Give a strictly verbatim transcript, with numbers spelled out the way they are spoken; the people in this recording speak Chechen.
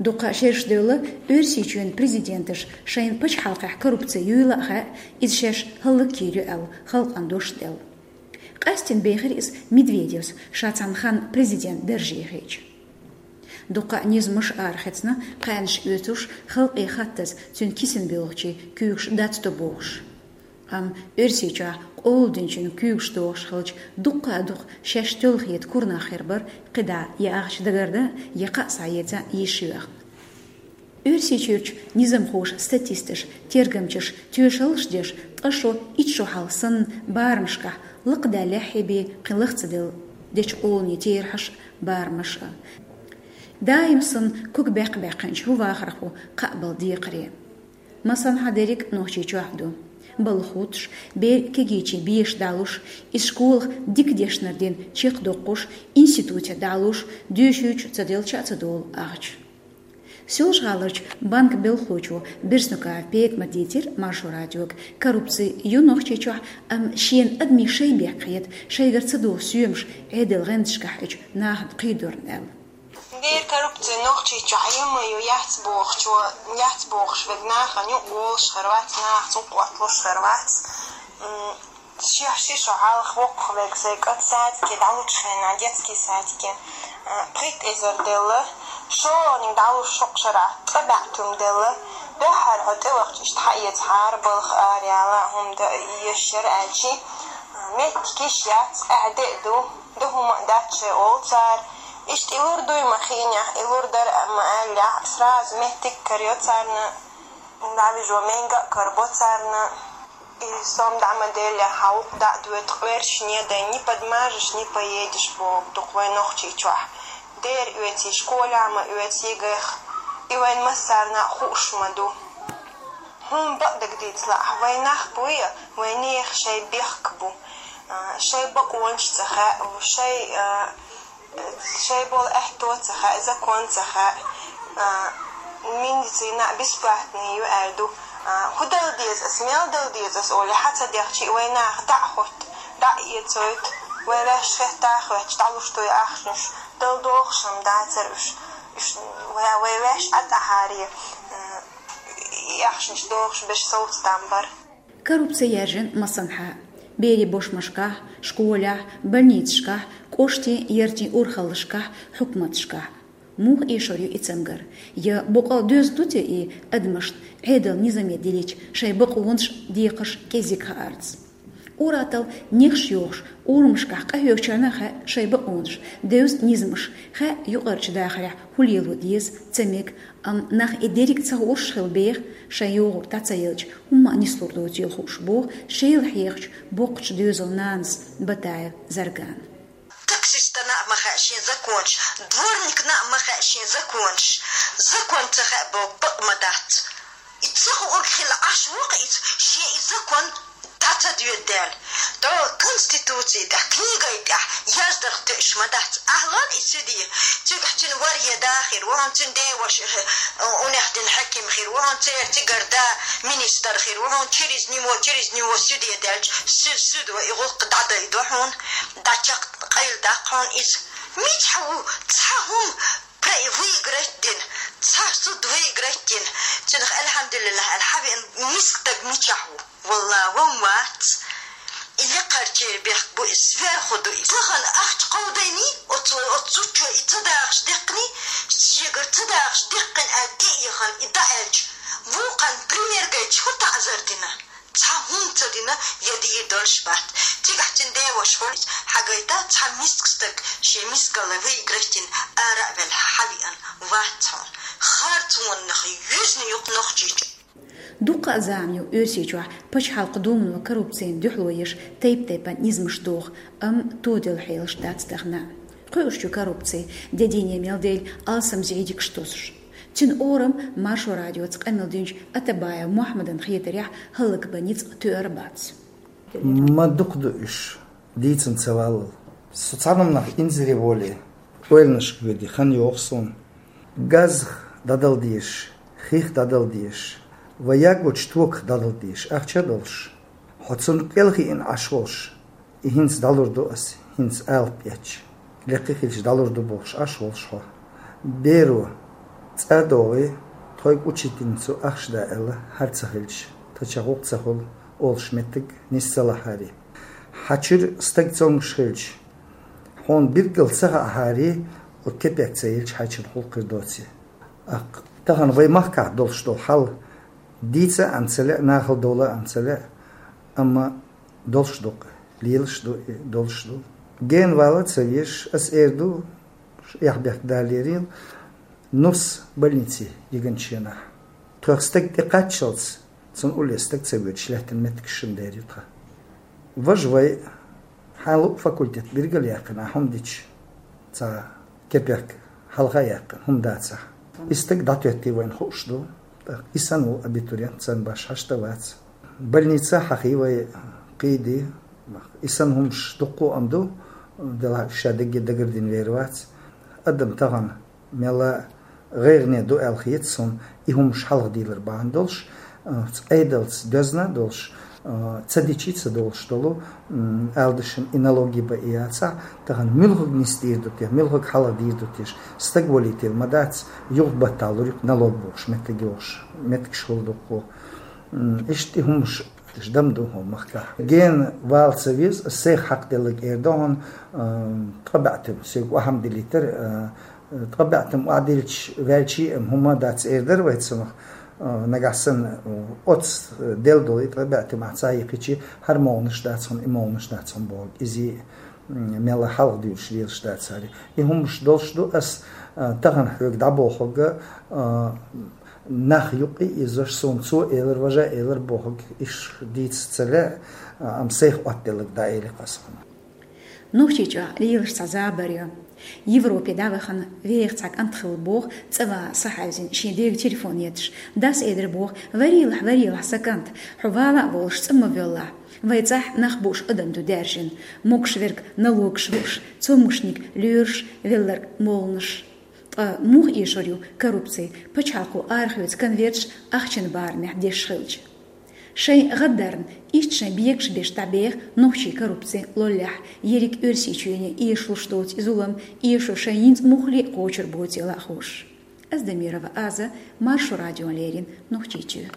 Дукха шераш девлла Оьрсийчоьнан президенташа шайн пачхьалкхехь коррупци юйла а хаьа, иза шаьш хӀаллакйийр ю аьлла, халкъана дош а делла. Къаьстина бехира иза Медведевс, ша цхьана ханна президент дарже хилча. Дуккха а низамаш арахецна, кхаьнаш оьцуш, халкъе хаттаза цуьнан кисана боьлхучийн куьйгаш дацдо бохуш. Амма Оьрсийчохь къола динчун куьйгаш дохуш хилча, дуккха а дукха шаьш тоьлла хета кура нах хир бара, кхидӀа я ахча дагардан, я кхаа схьаэца йиш йоьхна. Оьрсийчуьрчу низамхоша, статисташа, тергамчаша тоьшаллаш деш, ткъа шо, итт шо хьалха санна барамашкахь лакхадаьллехь а бен, кхин лахца делла дечу къоланийн терахьаш а, барамаш а. Даим санна ког баьккха-баьккхинчу хӀун вахархо кхаъ бала декхаре. Масанхьа дерриг а Нохчийчохь ду. Балха хӀуттуш, бер кегийчийн беша дӀалуш, иза школах дика дешнара дина чекхдоккхуш, институте дӀалуш, доьшуьйтуш ца делча а ца долу ахча. Соьлжа-ГӀаларчу банка белхалочо Берснукаев Петамара дийцира Маршо радиога, коррупци ю Нохчийчохь, амма шена адамийн шайн бехк хета, шайгара ца долу соьмаш Ӏедалан гӀанташкахь хьечу нахана кхийдорна аьлла. Дера коррупци Нохчийчохь ю ма ю, яц бохучо, яц бохуш верг нахана юкъа волуш хир вац, нахаца юкъа отталуш хир вац. М, ши, ши шо хьалха воккхах верг сайн кӀант садике дӀалучу хенахь, детский садике, а, пхийтта эзар делла, шолгӀаниг дӀалуш шуккха шарахь ткъа бӀе туьма делла, дуьххьара хьо тӀевахча иштта хьаэцахьара балха араяла, хӀума дан еш яра аьлчи, а, меттиг йиш яц, ахь де а ду. Ду хӀума а дац шайн олу цара. Иштта и лур дуй ма хиънехь, и лур дара а ма аьллехь, сразу меттиг а карайо царна, дӀавижо менга а карабо царна. И сом дӀа ма деллехь, хьан вукху дӀа а доьду, къоьрташ не дай, ни подмажешь, ни поедешь боху дукха вайн Нохчийчохь. Дера оьций, школехь ма оьцу ЕГЭ-х. И вайн массарна а хууш ма ду. ХӀума бакъдерг дийцалахь, вайн нах буй, вайнехан шайн бехк бу. А, шайн бакъонаш ца хаьа, шайн, а, шайн болу аьтто ца хаьа, закон ца хаьа, а, медицина бесплатный ю аьлла ду. А, хӀун дала деза ас, мел дала деза ас олий, хьан ца дехчий, вай наха дӀа а хӀотту, дӀа а эцойту, вай ваьш хетта а хоьттуш, дӀалуш ду и ахчанаш, дала догӀуш-м дацара уьш, уьш, вай, вай ваьш Ӏад ахьаре, а, и ахчанаш догӀуш берш совца там бара. Коррупци яьржина массанхьа: берийн бошмашкахь, школехь, больницашкахь, кӀоштийн, яртийн урхаллашкахь, хьукматашкахь. Муха эшор ю и цамгар? Я боккъал доьзна ду те и адамашна Ӏедалан низаме дилича шайн бакъонаш декхарш кӀезиг хаарца? Ур-атталла нехаш йохуш, урамашкахь къахьоьгучарна хаьа шайн бакъонаш, девза низамаш, хаьа юкъарчу дахарехь хӀун лело деза, ца мега, амма нах и дерриг а ца хууш хила беха, шайн йогӀург дӀа ца елча, хӀумма а нислур доцийла хууш, боху Шелахь ехачу боккхачу доьзалан нанас Батаев Заргана. Таксистана а ма хаьа шен законаш, дворникна а ма хаьа шен законаш. Закон ца хаьа боху бакъ ма дац. И ца хуург хила Ӏаш ву-кх иза, шен и закон дӀа ца доьду даьлла. ТӀо Конституци тӀехь, книгай тӀехь яздарх тоьуш ма дац. Ахьа лан и суьде, цигахь цуьнан варе дахийра, вахана цуьнан деваша, э, унехдина хьаьким хир ву хьуна, церан цигара да министр хир ву хьуна, через него, через него суьде даьлча, су-, судо и гӀуллакх дӀадайдо хьуна, дӀачекх къайладаккха хьуна иза. Мичахь ву цхьа хӀума пре-, выиграть дина, цхьа суд выиграть дина? Цунах, альхьамдулиллахӀ, аьлла хьавеана миска стаг мичахь ву? Валла, ван вац. И лекхарчеран бехк бу иза, сверху ду иза. Тахана ахча кховдайний, оцу, оцу зудчо и ца дахаш деккханий, шегара ца дахаш деккхина аьлла, тӀе а яхана, и дӀа аьлча, вукхарна пример гайташ хӀун таӀзар дина? Цхьа хӀума ца дина, я дийр долуш бац. Цигахь цуьнан деваша хьуна хьагайта, цхьа миска стаг шен мискалла выиграть дина, ара а велла, хьавеана вац хьуна. Харцонах юьзна ю-кх Нохчийчу. Дуккха а зама ю Оьрсийчохь Пачхьалкхан Думано коррупцина дуьхьало еш тайп-тайпана низамаш доху, амма тоделла хьелаш дац тахана. Кхуьуш ю коррупци, де дийне мел дайла алсам зӀий дикаш тосуш. Цуьнан орам Маршо радиоца къамел динчу Атабаев Мухьаммадана хетарехь хӀаллакбан ницкъ тоьар бац. Ма дукха ду уьш. Дийцина ца валлал. Со цхьана хӀуманах инзаре волий, ойланашка воьдий хан йогӀу суна. Газах дӀадала дезаш, хих дӀадала дезаш, вай ягочу токах дӀадала дезаш ахча а долуш, хьо цунна кӀелхиъна Ӏаш волуш, и хӀинца дӀалур ду ас, хӀинца алапа эцча, лекха хилча дӀалур ду бохуш Ӏаш волуш хьо. Беро, ЦӀа догӀий, тхоайга учительницо ахча да аьлла, хӀара ца хилча, тха ча гӀулакх ца хула, олуш меттиг нис ца лахьарий. Хьа чуьра стаг цомгуш хилча, хьуна билггал ца хаахьарий, оцу кепек ца елча, хьайчун гӀуллакх хир доций. ТӀаккха тахана вай махкахь долуш долу хьал дийца а ца лаьа, нахала довла а ца лаьа, амма долуш ду-кх, лелаш ду и, долуш ду. Гена вала а ца везаш, ас эр ду, эхь-бехк далийрил, нус больнице йигначу хенахь. Тхох стаг тӀекхаччалц, цунна улле стаг ца воьдуш лаьттина меттигаш шина дер ю тхан. Важа вай, хьан луъу факультет билггал яьккхина, хӀума дича, цхьа кепек хьалха а яьккхина, хӀума дацахь. И стаг дӀатоьттий вайна хууш ду. ТӀаккха и санна ву абитуриент, царна башха хьашт а вац. Больница хьахий вай, кхийдий. И санна хӀумаш дуккха а ма ду, делахь ша дагге дагардина вер вац. Адам тахана мелла гӀайгӀане ду аьлла хета суна, и хӀумаш хьалха дийлар бахьана долуш, а, Ӏедалца доьзна а долуш, а, ца дичи ца долуш долу, м, ала дашна и налоги бан и яцахь, тахана муьлхарг нисдийр ду те, муьлхарг хьалха дийр ду теша, стаг валийтийла ма дац, юха баттахь лур ю-кх налог бохуш, меттиг йохуш, меттигаш хула дуккха. М, иштта и хӀумаш дам ду хӀун махкахь. Гена вала ца веза, ас сайх хьакхаделларг эр ду хьуна, а, ткъа баьӀтим, соьга охьа ма диллийтара, а, ткъа баьӀтим охьадиллича ваьлчий а хӀума дац эр дара вай цунах, а, нагахь санна, а, оцу делла долу и ткъа баьӀтим ахь ца йихкичи, хӀара могӀанаш дац хьуна, и могӀанаш дац хьуна бохург. Изий, м, мелла хьалха дуьйлуш лелаш дац хӀара. И хӀумаш долуш ду ас, а, тахана хьоьга дӀабохург, а, нах юккъе а изош, суна цо элира, важа элира бохург, иш дийца ца лаьа, а, амма сайх оттаделларг дӀаэли-кх ас хьуна. Нохчийчохь лелаш цхьа забар ю. Европе дӀавахана веха цхьа кӀант хилла боху цӀа ван са хьаьвзина шен дега телефон етташ. Дас элира боху: «Варийлахь, варийлахь, сан кӀант, хьо вала а волуш цӀа ма воьллахь. Вай цӀахь нах бууш адам ду даьржина. Могуш верг налогаш лууш, цомгушниг лоьруш велларг молланаш». Ткъа муха эшур ю коррупци, пачхьалкхо арахоьцу конверташ ахчан барамехь деш хилча? Шайн гӀаддарна, иштта шайн бегаш беш дӀабеха нохчий коррупци лоллехь, ерриг Оьрсийчоьне эшалуш доцу и зулам эшо шайн йинца муххале а кхочур боцийла а хууш. Аздамирова Аза, Маршо радиона леррина, Нохчийчоь.